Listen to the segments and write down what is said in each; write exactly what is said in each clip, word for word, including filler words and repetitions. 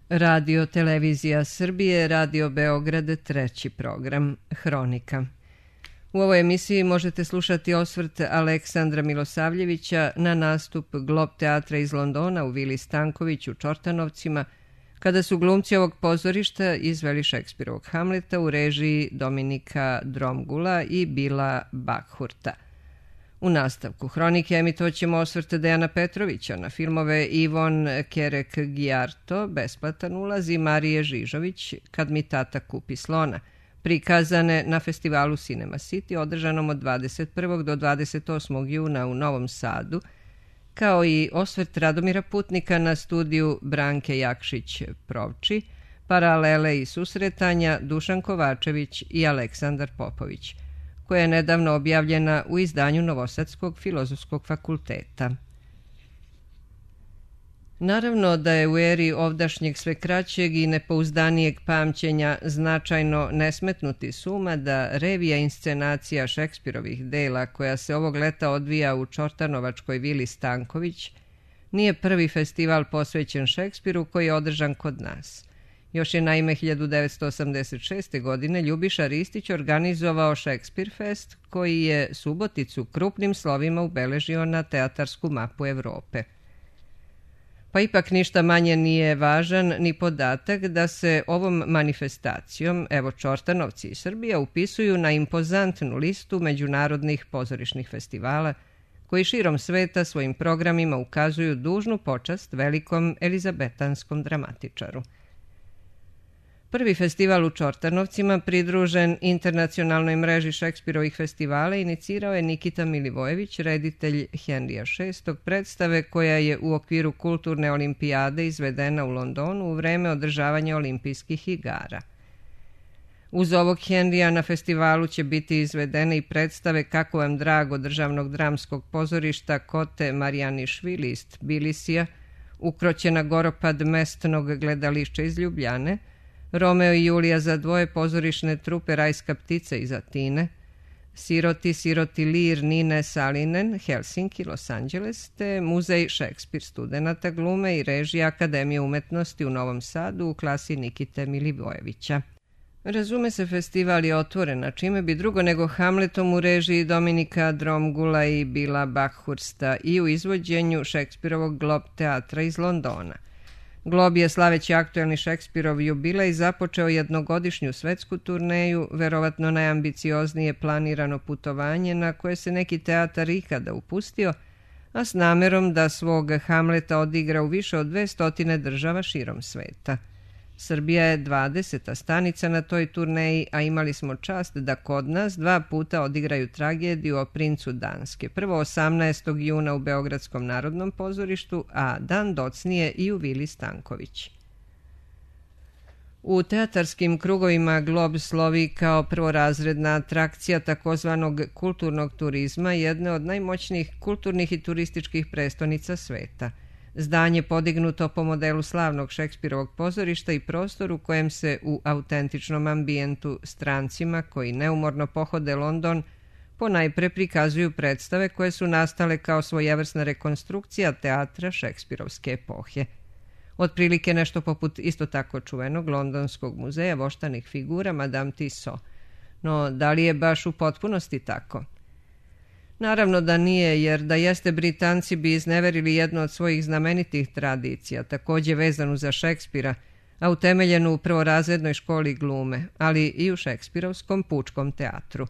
Radio Televizija Srbije, Radio Beograd, treći program, Hronika. U ovoj emisiji možete slušati osvrt Aleksandra Milosavljevića na nastup Glob teatra iz Londona u Vili Stanković u Čortanovcima, kada su glumci ovog pozorišta izveli Šekspirovog Hamleta u režiji Dominika Dromgula i Bila Bakhurta. U nastavku Hronike emitovaćemo osvrt Dejana Petrovića na filmove Ivon Kerek-Gijarto, Besplatan ulaz, i Marije Žižović, Kad mi tata kupi slona, prikazane na festivalu Cinema City održanom od dvadeset prvog do dvadeset osmog juna u Novom Sadu, kao i osvrt Radomira Putnika na studiju Branke Jakšić-Provči, Paralele i susretanja Dušan Kovačević i Aleksandar Popović, koja je nedavno objavljena u izdanju Novosadskog filozofskog fakulteta. Naravno da je u eri ovdašnjeg sve kraćeg i nepouzdanijeg pamćenja značajno ne smetnuti suma da revija inscenacija Šekspirovih dela, koja se ovog leta odvija u čortanovačkoj Vili Stanković, nije prvi festival posvećen Šekspiru koji je održan kod nas. Još je naime hiljadu devetsto osamdeset šeste. godine Ljubiša Ristić organizovao Šekspir Fest, koji je Suboticu krupnim slovima ubeležio na teatarsku mapu Evrope. Pa ipak ništa manje nije važan ni podatak da se ovom manifestacijom, evo Čortanovci i Srbija, upisuju na impozantnu listu međunarodnih pozorišnih festivala, koji širom sveta svojim programima ukazuju dužnu počast velikom elizabetanskom dramatičaru. Prvi festival u Čortanovcima, pridružen internacionalnoj mreži Šekspirovih festivala, inicirao je Nikita Milivojević, reditelj Henrija šestog. predstave koja je u okviru kulturne olimpijade izvedena u Londonu u vreme održavanja olimpijskih igara. Uz ovog Henrija na festivalu će biti izvedene i predstave Kako vam drago državnog dramskog pozorišta Kote Marijanišvili iz Tbilisija, Ukroćena goropad mestnog gledališća iz Ljubljane, Romeo i Julija za dvoje pozorišne trupe Rajska ptica iz Atine, Siroti, Siroti lir Nine Salinen, Helsinki, Los Angeles, te Muzej Šekspir studenata glume i režija Akademije umetnosti u Novom Sadu u klasi Nikite Milivojevića. Razume se, festival je otvoren, a čime bi drugo nego Hamletom u režiji Dominika Dromgula i Bila Bakhursta i u izvođenju Šekspirovog Glob teatra iz Londona. Glob je, slaveći aktuelni Šekspirov jubilej, započeo jednogodišnju svetsku turneju, verovatno najambicioznije planirano putovanje na koje se neki teatar ikada upustio, a s namerom da svog Hamleta odigra u više od dve stotine država širom sveta. Srbija je dvadeseta stanica na toj turneji, a imali smo čast da kod nas dva puta odigraju tragediju o princu Danske. Prvo osamnaestog juna u Beogradskom narodnom pozorištu, a dan docnije i u Vili Stanković. U teatarskim krugovima Glob slovi kao prvorazredna atrakcija takozvanog kulturnog turizma, jedne od najmoćnijih kulturnih i turističkih prestonica sveta. Zdanje podignuto po modelu slavnog Šekspirovog pozorišta i prostor u kojem se u autentičnom ambijentu strancima koji neumorno pohode London ponajpre prikazuju predstave koje su nastale kao svojevrsna rekonstrukcija teatra šekspirovske epohe. Otprilike nešto poput isto tako čuvenog londonskog muzeja voštanih figura Madame Tissot. No, da li je baš u potpunosti tako? Naravno da nije, jer da jeste, Britanci bi izneverili jednu od svojih znamenitih tradicija, takođe vezanu za Šekspira, a utemeljenu u prvorazrednoj školi glume, ali i u šekspirovskom pučkom teatru.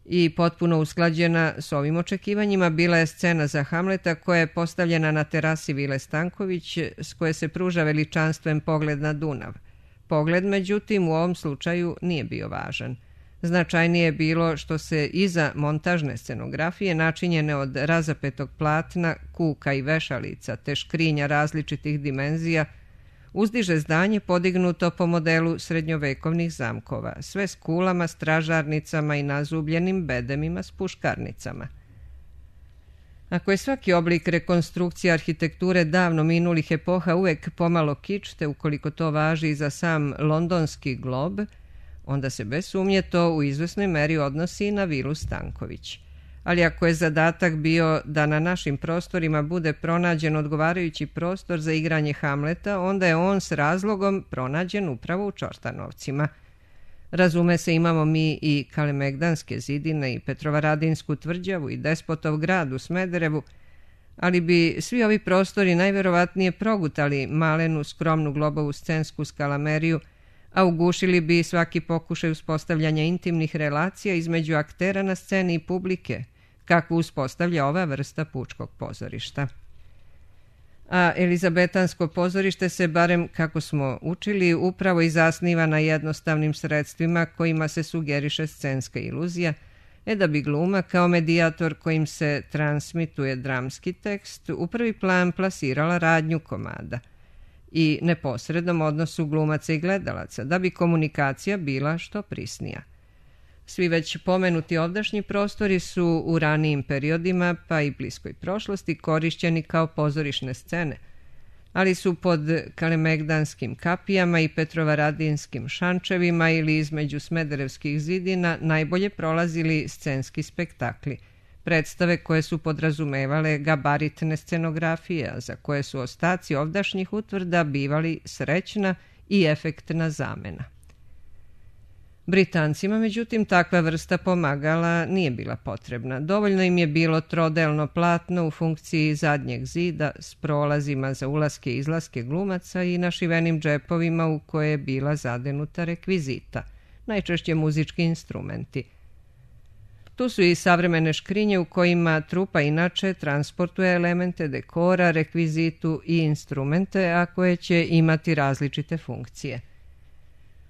I potpuno usklađena s ovim očekivanjima bila je scena za Hamleta koja je postavljena na terasi Vile Stanković, s koje se pruža veličanstven pogled na Dunav. Pogled, međutim, u ovom slučaju nije bio važan. Značajnije je bilo što se iza montažne scenografije, načinjene od razapetog platna, kuka i vešalica te škrinja različitih dimenzija, uzdiže zdanje podignuto po modelu srednjovekovnih zamkova, sve s kulama, stražarnicama i nazubljenim bedemima s puškarnicama. Ako je svaki oblik rekonstrukcije arhitekture davno minulih epoha uvek pomalo kič, te ukoliko to važi i za sam londonski Glob, onda se bez sumnje to u izvesnoj meri odnosi na Vilu Stanković. ali ako je zadatak bio da na našim prostorima bude pronađen odgovarajući prostor za igranje Hamleta, onda je on s razlogom pronađen upravo u Čortanovcima. Razume se, imamo mi i Kalemegdanske zidine i Petrovaradinsku tvrđavu i Despotov grad u Smederevu, ali bi svi ovi prostori najverovatnije progutali malenu skromnu globovu scensku skalameriju, a ugušili bi svaki pokušaj uspostavljanja intimnih relacija između aktera na sceni i publike, kakvu uspostavlja ova vrsta pučkog pozorišta. A Elizabetansko pozorište se, barem kako smo učili, upravo i zasniva na jednostavnim sredstvima kojima se sugeriše scenska iluzija, e da bi gluma kao medijator kojim se transmituje dramski tekst u prvi plan plasirala radnju komada i neposrednom odnosu glumaca i gledalaca, da bi komunikacija bila što prisnija. Svi već pomenuti ovdašnji prostori su u ranijim periodima, pa i bliskoj prošlosti, korišćeni kao pozorišne scene, ali su pod Kalemegdanskim kapijama i Petrovaradinskim šančevima ili između Smederevskih zidina najbolje prolazili scenski spektakli, predstave koje su podrazumevale gabaritne scenografije, a za koje su ostaci ovdašnjih utvrda bivali srećna i efektna zamena. Britancima, međutim, takva vrsta pomagala nije bila potrebna. Dovoljno im je bilo trodelno platno u funkciji zadnjeg zida s prolazima za ulaske i izlaske glumaca i našivenim džepovima u koje je bila zadenuta rekvizita, najčešće muzički instrumenti. Tu su i savremene škrinje u kojima trupa inače transportuje elemente dekora, rekvizitu i instrumente, a koje će imati različite funkcije.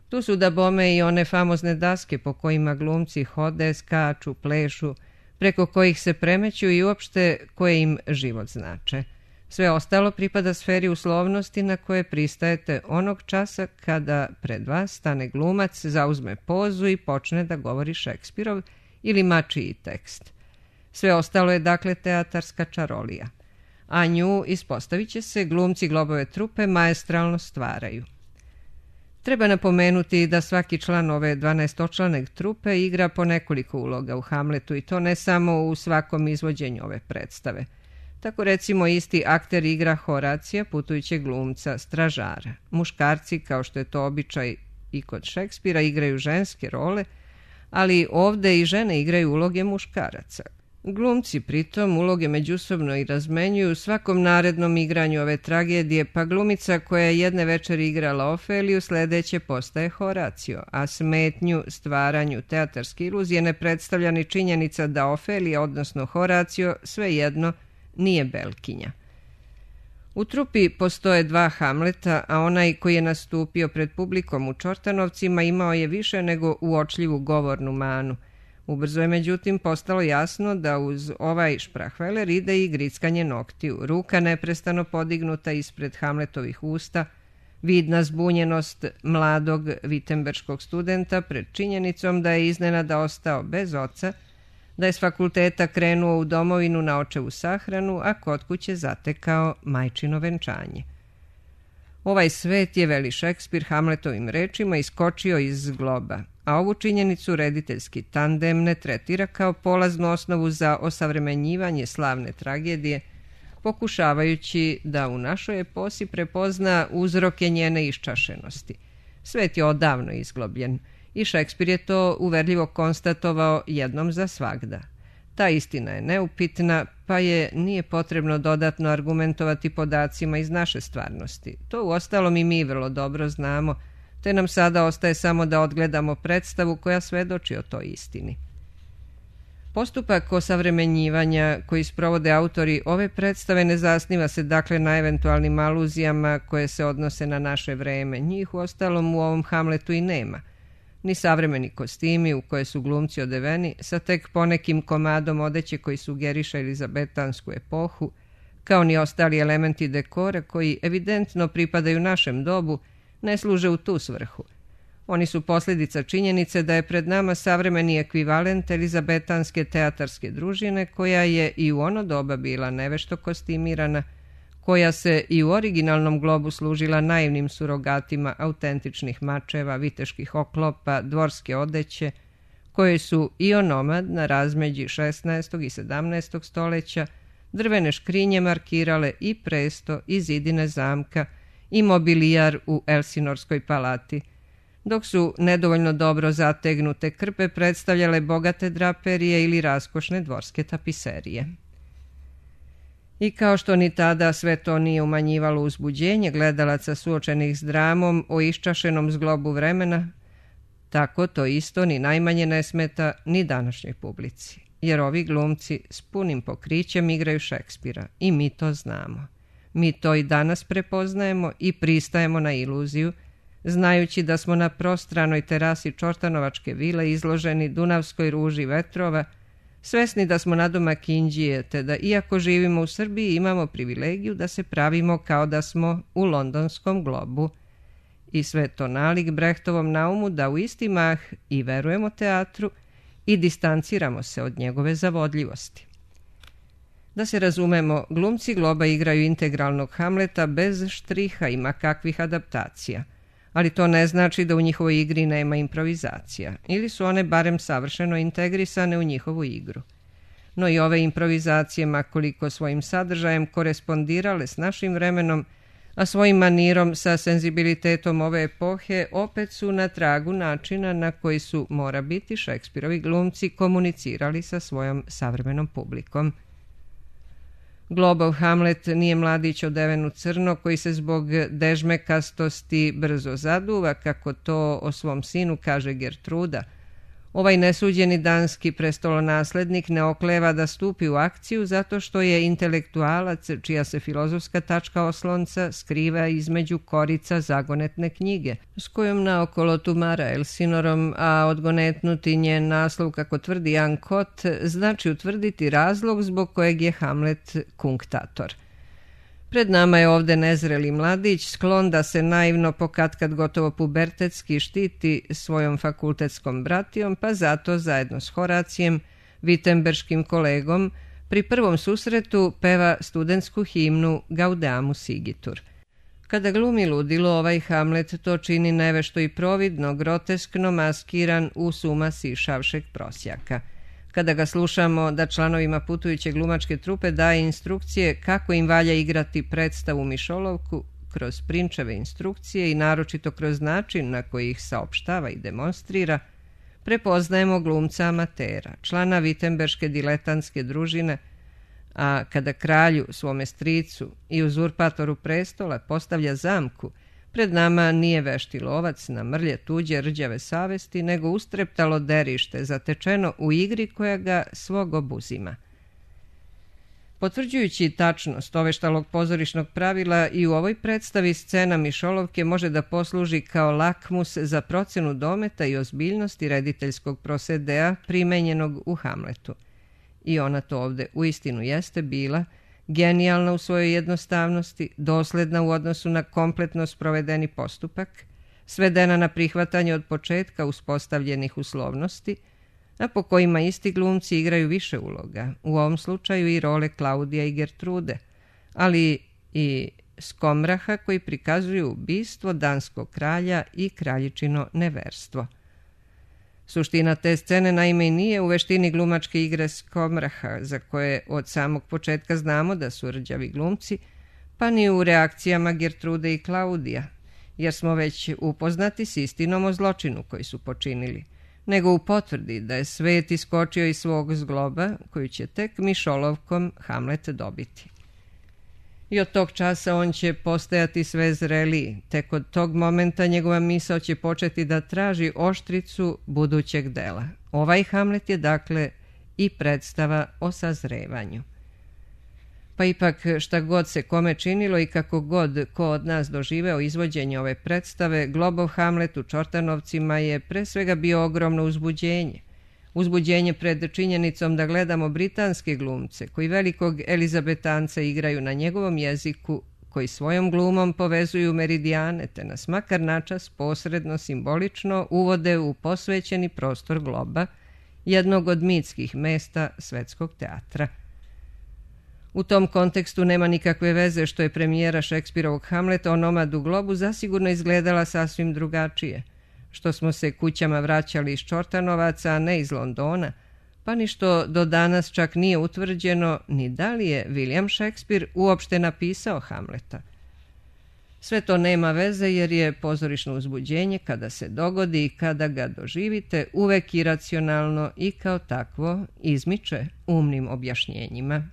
Tu su da bome i one famozne daske po kojima glumci hode, skaču, plešu, preko kojih se premeću i uopšte koje im život znače. Sve ostalo pripada sferi uslovnosti na koje pristajete onog časa kada pred vas stane glumac, zauzme pozu i počne da govori Šekspirov ili mačiji tekst. Sve ostalo je dakle teatarska čarolija, a nju, ispostavit će se, glumci globove trupe maestralno stvaraju. Treba napomenuti da svaki član ove dvanaestočlane trupe igra po nekoliko uloga u Hamletu i to ne samo u svakom izvođenju ove predstave. Tako recimo isti akter igra Horacija, putujućeg glumca, stražara. Muškarci, kao što je to običaj i kod Šekspira, igraju ženske role, ali ovde i žene igraju uloge muškaraca. Glumci pritom uloge međusobno i razmenjuju u svakom narednom igranju ove tragedije, pa glumica koja je jedne večeri igrala Ofeliju sledeće postaje Horacio, a smetnju stvaranju teatarske iluzije ne predstavlja ni činjenica da Ofelija, odnosno Horacio, svejedno nije Belkinja. U trupi postoje dva Hamleta, a onaj koji je nastupio pred publikom u Čortanovcima imao je više nego uočljivu govornu manu. Ubrzo je međutim postalo jasno da uz ovaj šprahveler ide i grickanje noktiju, ruka neprestano podignuta ispred Hamletovih usta, vidna zbunjenost mladog vitemberškog studenta pred činjenicom da je iznenada ostao bez oca, da je s fakulteta krenuo u domovinu na očevu sahranu, a kod kuće zatekao majčino venčanje. Ovaj svet je, veli Šekspir Hamletovim rečima, iskočio iz globa, a ovu činjenicu rediteljski tandem ne tretira kao polaznu osnovu za osavremenjivanje slavne tragedije, pokušavajući da u našoj eposi prepozna uzroke njene iščašenosti. Svet je odavno izglobljen i Šekspir je to uverljivo konstatovao jednom za svagda. Ta istina je neupitna, pa je nije potrebno dodatno argumentovati podacima iz naše stvarnosti. To uostalom i mi vrlo dobro znamo, te nam sada ostaje samo da odgledamo predstavu koja svedoči o toj istini. Postupak osavremenjivanja koji sprovode autori ove predstave ne zasniva se dakle na eventualnim aluzijama koje se odnose na naše vreme. Njih uostalom u ovom Hamletu i nema. Ni savremeni kostimi u koje su glumci odeveni sa tek ponekim komadom odeće koji sugeriše elizabetansku epohu, kao ni ostali elementi dekora koji evidentno pripadaju našem dobu, ne služe u tu svrhu. Oni su posljedica činjenice da je pred nama savremeni ekvivalent elizabetanske teatarske družine koja je i u ono doba bila nevešto kostimirana, koja se i u originalnom globu služila naivnim surogatima autentičnih mačeva, viteških oklopa, dvorske odeće, koje su i onomad na razmeđi šesnaestog i sedamnaestog stoljeća, drvene škrinje markirale i presto i zidine zamka i mobilijar u Elsinorskoj palati, dok su nedovoljno dobro zategnute krpe predstavljale bogate draperije ili raskošne dvorske tapiserije. I kao što ni tada sve to nije umanjivalo uzbuđenje gledalaca suočenih s dramom o iščašenom zglobu vremena, tako to isto ni najmanje ne smeta ni današnjoj publici, jer ovi glumci s punim pokrićem igraju Šekspira i mi to znamo. Mi to i danas prepoznajemo i pristajemo na iluziju, znajući da smo na prostranoj terasi Čortanovačke vile izloženi dunavskoj ruži vetrova, svesni da smo nadomak Indije, te da iako živimo u Srbiji imamo privilegiju da se pravimo kao da smo u londonskom globu. I sve to nalik Brehtovom naumu da u isti mah i verujemo teatru i distanciramo se od njegove zavodljivosti. Da se razumemo, glumci globa igraju integralnog Hamleta bez štriha i makakvih adaptacija, ali to ne znači da u njihovoj igri nema improvizacija, ili su one barem savršeno integrisane u njihovu igru. No i ove improvizacije, makoliko svojim sadržajem korespondirale s našim vremenom, a svojim manirom sa senzibilitetom ove epohe, opet su na tragu načina na koji su, mora biti, Šekspirovi glumci komunicirali sa svojom savremenom publikom. Globov Hamlet nije mladić odeven u crno koji se zbog dežmekastosti brzo zaduva, kako to o svom sinu kaže Gertruda. Ovaj nesuđeni danski prestolonaslednik ne okleva da stupi u akciju zato što je intelektualac čija se filozofska tačka oslonca skriva između korica zagonetne knjige, s kojom naokolo tumara Elsinorom, a odgonetnuti njen naslov, kako tvrdi Jan Kot, znači utvrditi razlog zbog kojeg je Hamlet kunktator. Pred nama je ovde nezreli mladić, sklon da se naivno pokatkad gotovo pubertetski štiti svojom fakultetskom bratijom, pa zato zajedno s Horacijem, vitemberškim kolegom, pri prvom susretu peva studentsku himnu Gaudeamus igitur. Kada glumi ludilo, ovaj Hamlet to čini nevešto i providno, groteskno maskiran u suma sišavšeg prosjaka. Kada ga slušamo da članovima putujuće glumačke trupe daje instrukcije kako im valja igrati predstavu Mišolovku kroz prinčeve instrukcije i naročito kroz način na koji ih saopštava i demonstrira, prepoznajemo glumca amatera, člana vitemberške diletantske družine, a kada kralju, svome stricu i uzurpatoru prestola postavlja zamku, pred nama nije vešti lovac na mrlje tuđe rđave savesti, nego ustreptalo derište, zatečeno u igri koja ga svog obuzima. Potvrđujući tačnost oveštalog pozorišnog pravila, i u ovoj predstavi scena Mišolovke može da posluži kao lakmus za procenu dometa i ozbiljnosti rediteljskog prosedea primenjenog u Hamletu. I ona to ovde uistinu jeste bila, genijalna u svojoj jednostavnosti, dosledna u odnosu na kompletno sprovedeni postupak, svedena na prihvatanje od početka uspostavljenih uslovnosti, a po kojima isti glumci igraju više uloga, u ovom slučaju i role Klaudija i Gertrude, ali i Skomraha koji prikazuju ubistvo danskog kralja i kraljičino neverstvo. Suština te scene naime i nije u veštini glumačke igre Skomraha, za koje od samog početka znamo da su rđavi glumci, pa ni u reakcijama Gertrude i Klaudija, jer smo već upoznati s istinom o zločinu koji su počinili, nego u potvrdi da je svet iskočio iz svog zgloba, koju će tek Mišolovkom Hamlet dobiti. I od tog časa on će postajati sve zreliji, tek od tog momenta njegova misao će početi da traži oštricu budućeg dela. Ovaj Hamlet je dakle i predstava o sazrevanju. Pa ipak šta god se kome činilo i kako god ko od nas doživeo izvođenje ove predstave, globov Hamlet u Čortanovcima je pre svega bio ogromno uzbuđenje. Uzbuđenje pred činjenicom da gledamo britanske glumce koji velikog Elizabetanca igraju na njegovom jeziku, koji svojom glumom povezuju meridijane te nas makar načas posredno simbolično uvode u posvećeni prostor globa, jednog od mitskih mesta svetskog teatra. U tom kontekstu nema nikakve veze što je premijera Šekspirovog Hamleta Onomad u globu zasigurno izgledala sasvim drugačije, što smo se kućama vraćali iz Čortanovaca, a ne iz Londona, pa ni što do danas čak nije utvrđeno ni da li je William Shakespeare uopšte napisao Hamleta. Sve to nema veze jer je pozorišno uzbuđenje kada se dogodi i kada ga doživite uvek iracionalno i kao takvo izmiče umnim objašnjenjima.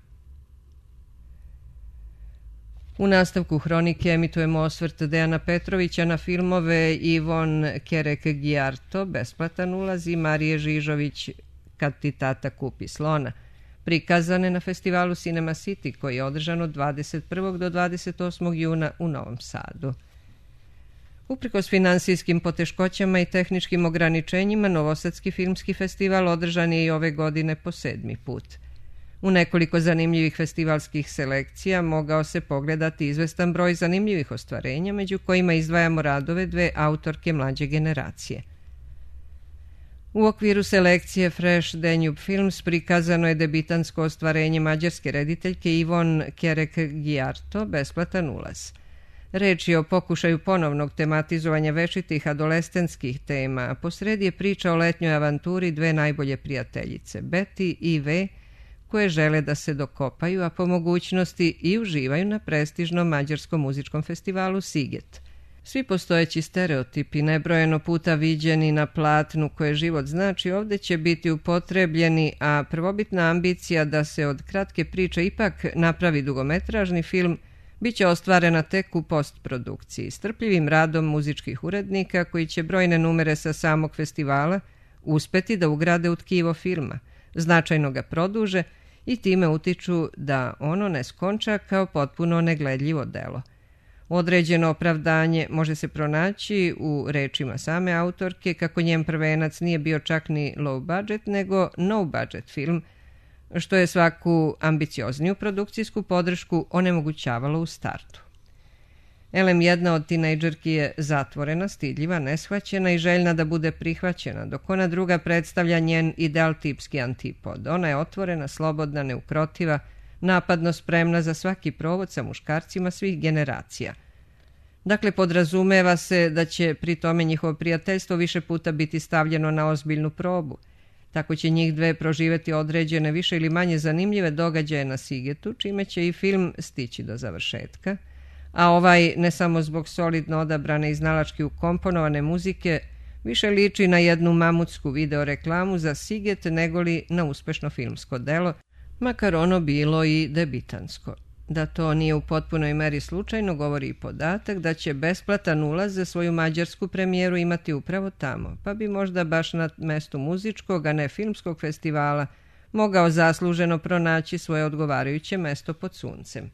U nastavku hronike emitujemo osvrt Dejana Petrovića na filmove Ivon Kerek-Gijarto, Besplatan ulaz, i Marije Žižović, Kad ti tata kupi slona, prikazane na festivalu Cinema City koji je održan od dvadeset prvog do dvadeset osmog juna u Novom Sadu. Uprkos finansijskim poteškoćama i tehničkim ograničenjima, Novosadski filmski festival održan je i ove godine po sedmi put. U nekoliko zanimljivih festivalskih selekcija mogao se pogledati izvestan broj zanimljivih ostvarenja, među kojima izdvajamo radove dve autorke mlađe generacije. U okviru selekcije Fresh Danube Films prikazano je debitansko ostvarenje mađarske rediteljke Ivon Kerek-Gijarto, Besplatan ulaz. Reč je o pokušaju ponovnog tematizovanja večitih adolescenskih tema, a posredi je priča o letnjoj avanturi dve najbolje prijateljice, Betty i V, koje žele da se dokopaju, a po mogućnosti i uživaju na prestižnom mađarskom muzičkom festivalu Siget. Svi postojeći stereotipi, nebrojeno puta viđeni na platnu koje život znači, ovdje će biti upotrebljeni, a prvobitna ambicija da se od kratke priče ipak napravi dugometražni film bit će ostvarena tek u postprodukciji, strpljivim radom muzičkih urednika koji će brojne numere sa samog festivala uspeti da ugrade u tkivo filma, značajno ga produže i time utiču da ono ne skonča kao potpuno negledljivo delo. Određeno opravdanje može se pronaći u rečima same autorke kako njen prvenac nije bio čak ni low budget nego no budget film, što je svaku ambiciozniju produkcijsku podršku onemogućavalo u startu. Elem, jedna od tinejdžerki je zatvorena, stidljiva, neshvaćena i željna da bude prihvaćena, dok ona druga predstavlja njen ideal tipski antipod. Ona je otvorena, slobodna, neukrotiva, napadno spremna za svaki provod sa muškarcima svih generacija. Dakle, podrazumeva se da će pri tome njihovo prijateljstvo više puta biti stavljeno na ozbiljnu probu. Tako će njih dve proživeti određene više ili manje zanimljive događaje na Sigetu, čime će i film stići do završetka, a ovaj, ne samo zbog solidno odabrane i znalački ukomponovane muzike, više liči na jednu mamutsku videoreklamu za Siget negoli na uspešno filmsko delo, makar ono bilo i debitansko. Da to nije u potpunoj meri slučajno govori i podatak da će besplatan ulaz za svoju mađarsku premijeru imati upravo tamo, pa bi možda baš na mestu muzičkog, a ne filmskog festivala mogao zasluženo pronaći svoje odgovarajuće mesto pod suncem.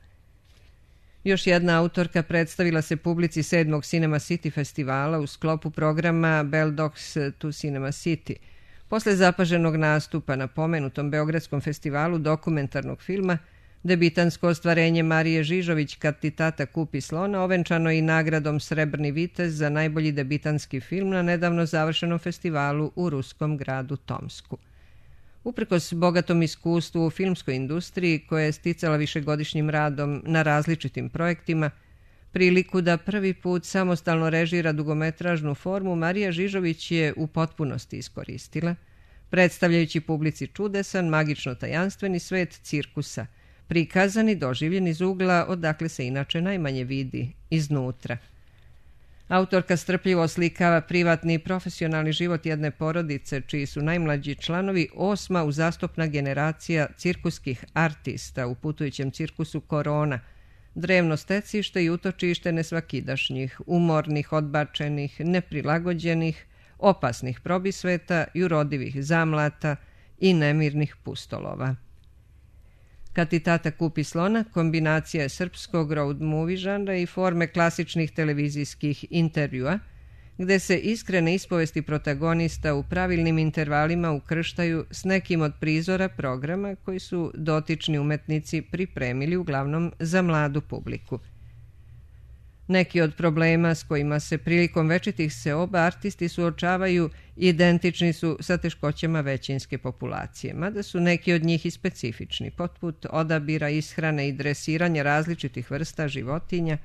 Još jedna autorka predstavila se publici sedmog Cinema City festivala u sklopu programa Bell Dogs to Cinema City. Posle zapaženog nastupa na pomenutom Beogradskom festivalu dokumentarnog filma, debitansko ostvarenje Marije Žižović Kad ti tata kupi slona ovenčano i nagradom Srebrni vitez za najbolji debitanski film na nedavno završenom festivalu u ruskom gradu Tomsku. Uprkos bogatom iskustvu u filmskoj industriji koja je sticala višegodišnjim radom na različitim projektima, priliku da prvi put samostalno režira dugometražnu formu Marija Žižović je u potpunosti iskoristila, predstavljajući publici čudesan, magično tajanstveni svet cirkusa, prikazan i doživljen iz ugla odakle se inače najmanje vidi, iznutra. Autorka strpljivo oslikava privatni i profesionalni život jedne porodice, čiji su najmlađi članovi osma uzastopna generacija cirkuskih artista u putujućem cirkusu Korona, drevno stecište i utočište nesvakidašnjih, umornih, odbačenih, neprilagođenih, opasnih probisveta, jurodivih zamlata i nemirnih pustolova. Kad ti tata kupi slona, kombinacija je srpskog road movie žanra i forme klasičnih televizijskih intervjua, gde se iskrene ispovesti protagonista u pravilnim intervalima ukrštaju s nekim od prizora programa koji su dotični umetnici pripremili uglavnom za mladu publiku. Neki od problema s kojima se prilikom večitih seoba artisti suočavaju identični su sa teškoćama većinske populacije, mada su neki od njih i specifični, poput odabira, ishrane i dresiranja različitih vrsta životinja,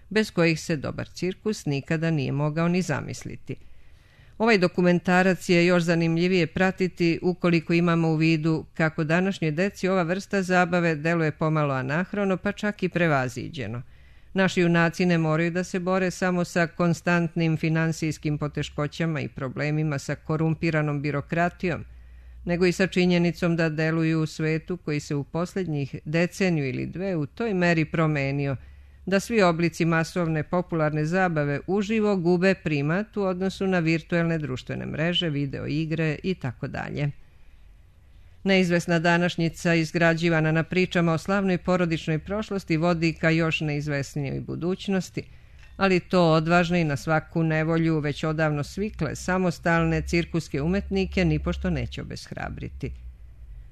bez kojih se dobar cirkus nikada nije mogao ni zamisliti. Ovaj dokumentarac je još zanimljivije pratiti ukoliko imamo u vidu kako današnjoj deci ova vrsta zabave deluje pomalo anahrono, pa čak i prevaziđeno. Naši junaci ne moraju da se bore samo sa konstantnim finansijskim poteškoćama i problemima sa korumpiranom birokratijom, nego i sa činjenicom da deluju u svetu koji se u posljednjih deceniju ili dve u toj meri promenio, da svi oblici masovne popularne zabave uživo gube primat u odnosu na virtuelne društvene mreže, video igre i tako dalje. Neizvesna današnjica, izgrađivana na pričama o slavnoj porodičnoj prošlosti, vodi ka još neizvesnijoj budućnosti, ali to odvažne i na svaku nevolju već odavno svikle samostalne cirkuske umetnike nipošto neće obeshrabriti.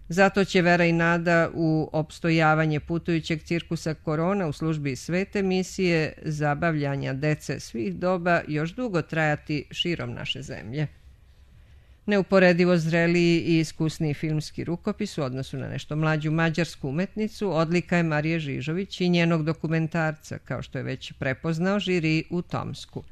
Zato će vera i nada u opstojavanje putujućeg cirkusa Korona u službi svete misije zabavljanja dece svih doba još dugo trajati širom naše zemlje. Neuporedivo zreliji i iskusniji filmski rukopis u odnosu na nešto mlađu mađarsku umetnicu odlika je Marije Žižović i njenog dokumentarca, kao što je već prepoznao žiri u Tomsku.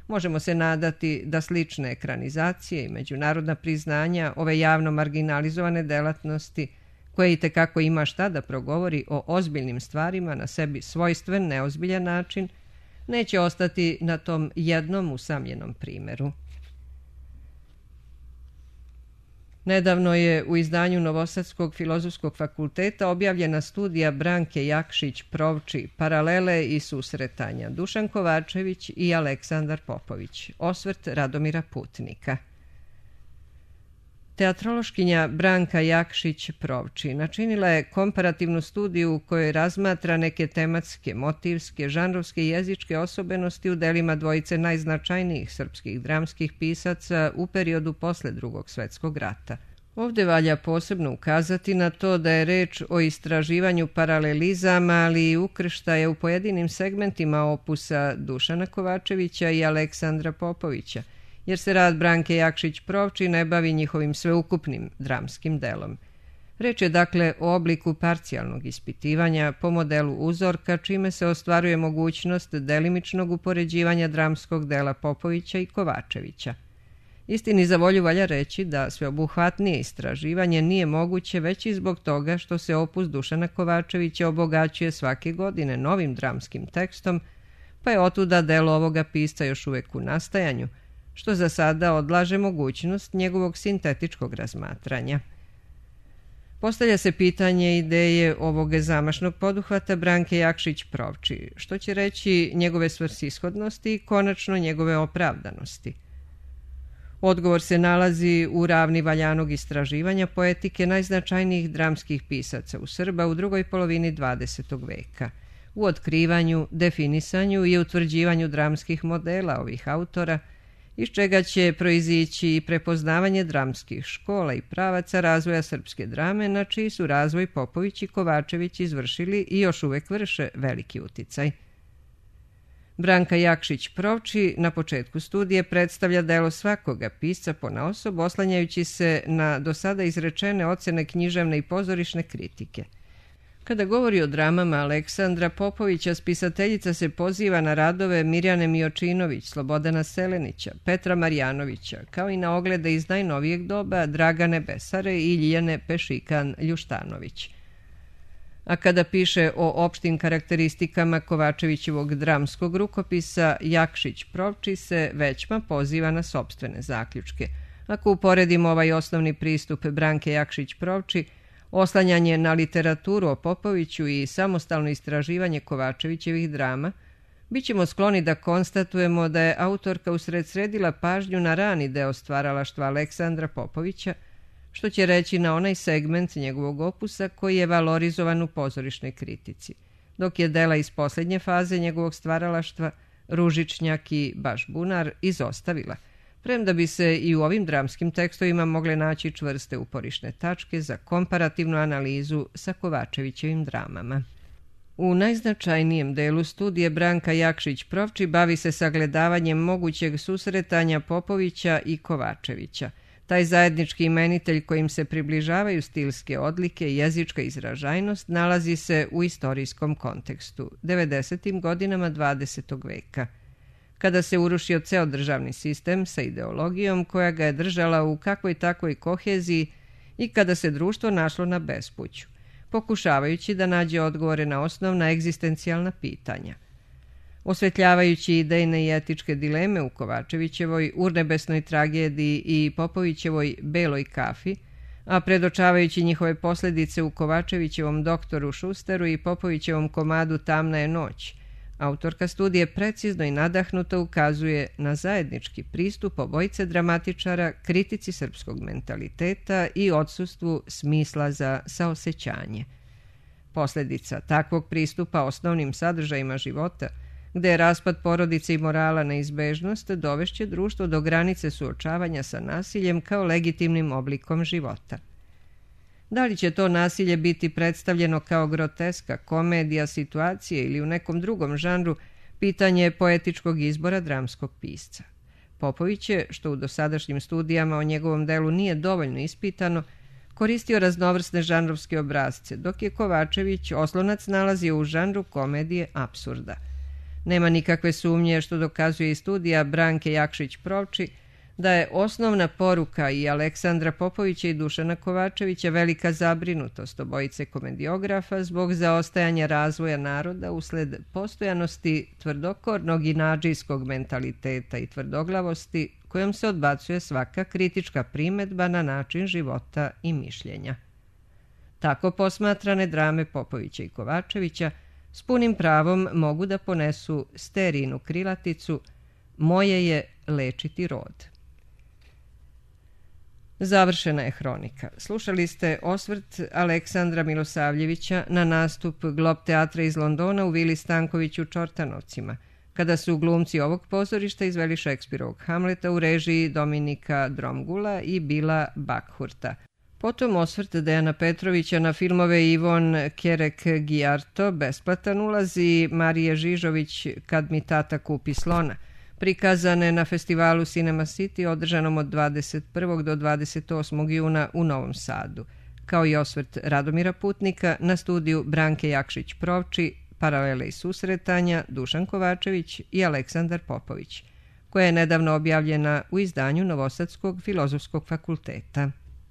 Možemo se nadati da slične ekranizacije i međunarodna priznanja ove javno marginalizovane delatnosti, koje itekako ima šta da progovori o ozbiljnim stvarima na sebi svojstven, neozbiljan način, neće ostati na tom jednom usamljenom primeru. Nedavno je u izdanju Novosadskog filozofskog fakulteta objavljena studija Branke Jakšić-Provči Paralele i susretanja, Dušan Kovačević i Aleksandar Popović, osvrt Radomira Putnika. Teatrološkinja Branka Jakšić-Provči načinila je komparativnu studiju u kojoj razmatra neke tematske, motivske, žanrovske i jezičke osobenosti u delima dvojice najznačajnijih srpskih dramskih pisaca u periodu posle Drugog svetskog rata. Ovdje valja posebno ukazati na to da je reč o istraživanju paralelizama, ali i ukrštaja u pojedinim segmentima opusa Dušana Kovačevića i Aleksandra Popovića, jer se rad Branke Jakšić-Provči ne bavi njihovim sveukupnim dramskim delom. Reč je dakle o obliku parcijalnog ispitivanja po modelu uzorka, čime se ostvaruje mogućnost delimičnog upoređivanja dramskog dela Popovića i Kovačevića. Istini za volju valja reći da sveobuhvatnije istraživanje nije moguće već i zbog toga što se opus Dušana Kovačevića obogaćuje svake godine novim dramskim tekstom, pa je otuda delo ovoga pisca još uvek u nastajanju, što za sada odlaže mogućnost njegovog sintetičkog razmatranja. Postavlja se pitanje ideje ovog zamašnog poduhvata Branke Jakšić-Provči, što će reći njegove svrsishodnosti i konačno njegove opravdanosti. Odgovor se nalazi u ravni valjanog istraživanja poetike najznačajnijih dramskih pisaca u Srba u drugoj polovini dvadesetog veka, u otkrivanju, definisanju i utvrđivanju dramskih modela ovih autora, iz čega će proizići i prepoznavanje dramskih škola i pravaca razvoja srpske drame, na čiji su razvoj Popović i Kovačević izvršili i još uvek vrše veliki uticaj. Branka Jakšić-Provči na početku studije predstavlja delo svakoga pisca ponaosob, oslanjajući se na do sada izrečene ocene književne i pozorišne kritike. Kada govori o dramama Aleksandra Popovića, spisateljica se poziva na radove Mirjane Mijočinović, Slobodana Selenića, Petra Marjanovića, kao i na oglede iz najnovijeg doba Dragane Besare i Ljiljane Pešikan-Ljuštanović. A kada piše o opštim karakteristikama Kovačevićevog dramskog rukopisa, Jakšić-Provči se većma poziva na sopstvene zaključke. Ako uporedimo ovaj osnovni pristup Branke Jakšić-Provči, oslanjanje na literaturu o Popoviću i samostalno istraživanje Kovačevićevih drama, bit ćemo skloni da konstatujemo da je autorka usred sredila pažnju na rani deo stvaralaštva Aleksandra Popovića, što će reći na onaj segment njegovog opusa koji je valorizovan u pozorišnoj kritici, dok je dela iz posljednje faze njegovog stvaralaštva, Ružičnjak i Baš bunar, izostavila, premda bi se i u ovim dramskim tekstovima mogle naći čvrste uporišne tačke za komparativnu analizu sa Kovačevićevim dramama. U najznačajnijem delu studije Branka Jakšić-Provči bavi se sagledavanjem mogućeg susretanja Popovića i Kovačevića. Taj zajednički imenitelj kojim se približavaju stilske odlike i jezička izražajnost nalazi se u istorijskom kontekstu, devedesetim godinama dvadesetog veka. kada se urušio ceo državni sistem sa ideologijom koja ga je držala u kakvoj takvoj koheziji i kada se društvo našlo na bespuću, pokušavajući da nađe odgovore na osnovna egzistencijalna pitanja. Osvetljavajući idejne i etičke dileme u Kovačevićevoj urnebesnoj tragediji i Popovićevoj Beloj kafi, a predočavajući njihove posljedice u Kovačevićevom doktoru Šusteru i Popovićevom komadu Tamna je noć, autorka studije precizno i nadahnuto ukazuje na zajednički pristup obojice dramatičara kritici srpskog mentaliteta i odsustvu smisla za saosećanje. Posljedica takvog pristupa osnovnim sadržajima života, gde je raspad porodice i morala neizbežnost, dovešće društvo do granice suočavanja sa nasiljem kao legitimnim oblikom života. Da li će to nasilje biti predstavljeno kao groteska, komedija, situacije ili u nekom drugom žanru, pitanje je poetičkog izbora dramskog pisca. Popović je, što u dosadašnjim studijama o njegovom delu nije dovoljno ispitano, koristio raznovrsne žanrovske obrazce, dok je Kovačević oslonac nalazio u žanru komedije apsurda. Nema nikakve sumnje, što dokazuje i studija Branke Jakšić-Provči, da je osnovna poruka i Aleksandra Popovića i Dušana Kovačevića velika zabrinutost obojice komediografa zbog zaostajanja razvoja naroda usled postojanosti tvrdokornog i nadžijskog mentaliteta i tvrdoglavosti kojom se odbacuje svaka kritička primedba na način života i mišljenja. Tako posmatrane drame Popovića i Kovačevića s punim pravom mogu da ponesu sterijnu krilaticu "Moje je lečiti rod". Završena je hronika. Slušali ste osvrt Aleksandra Milosavljevića na nastup Glob teatra iz Londona u Vili Stanković u Čortanovcima, kada su glumci ovog pozorišta izveli Šekspirovog Hamleta u režiji Dominika Dromgula i Bila Bakhurta. Potom osvrt Dejana Petrovića na filmove Ivon Kerek-Gijarto, besplatan ulaz, i Marije Žižović Kad mi tata kupi slona, prikazane na festivalu Cinema City održanom od dvadeset prvog do dvadeset osmog juna u Novom Sadu, kao i osvrt Radomira Putnika na studiju Branke Jakšić-Provči, Paralele i susretanja, Dušan Kovačević i Aleksandar Popović, koja je nedavno objavljena u izdanju Novosadskog filozofskog fakulteta.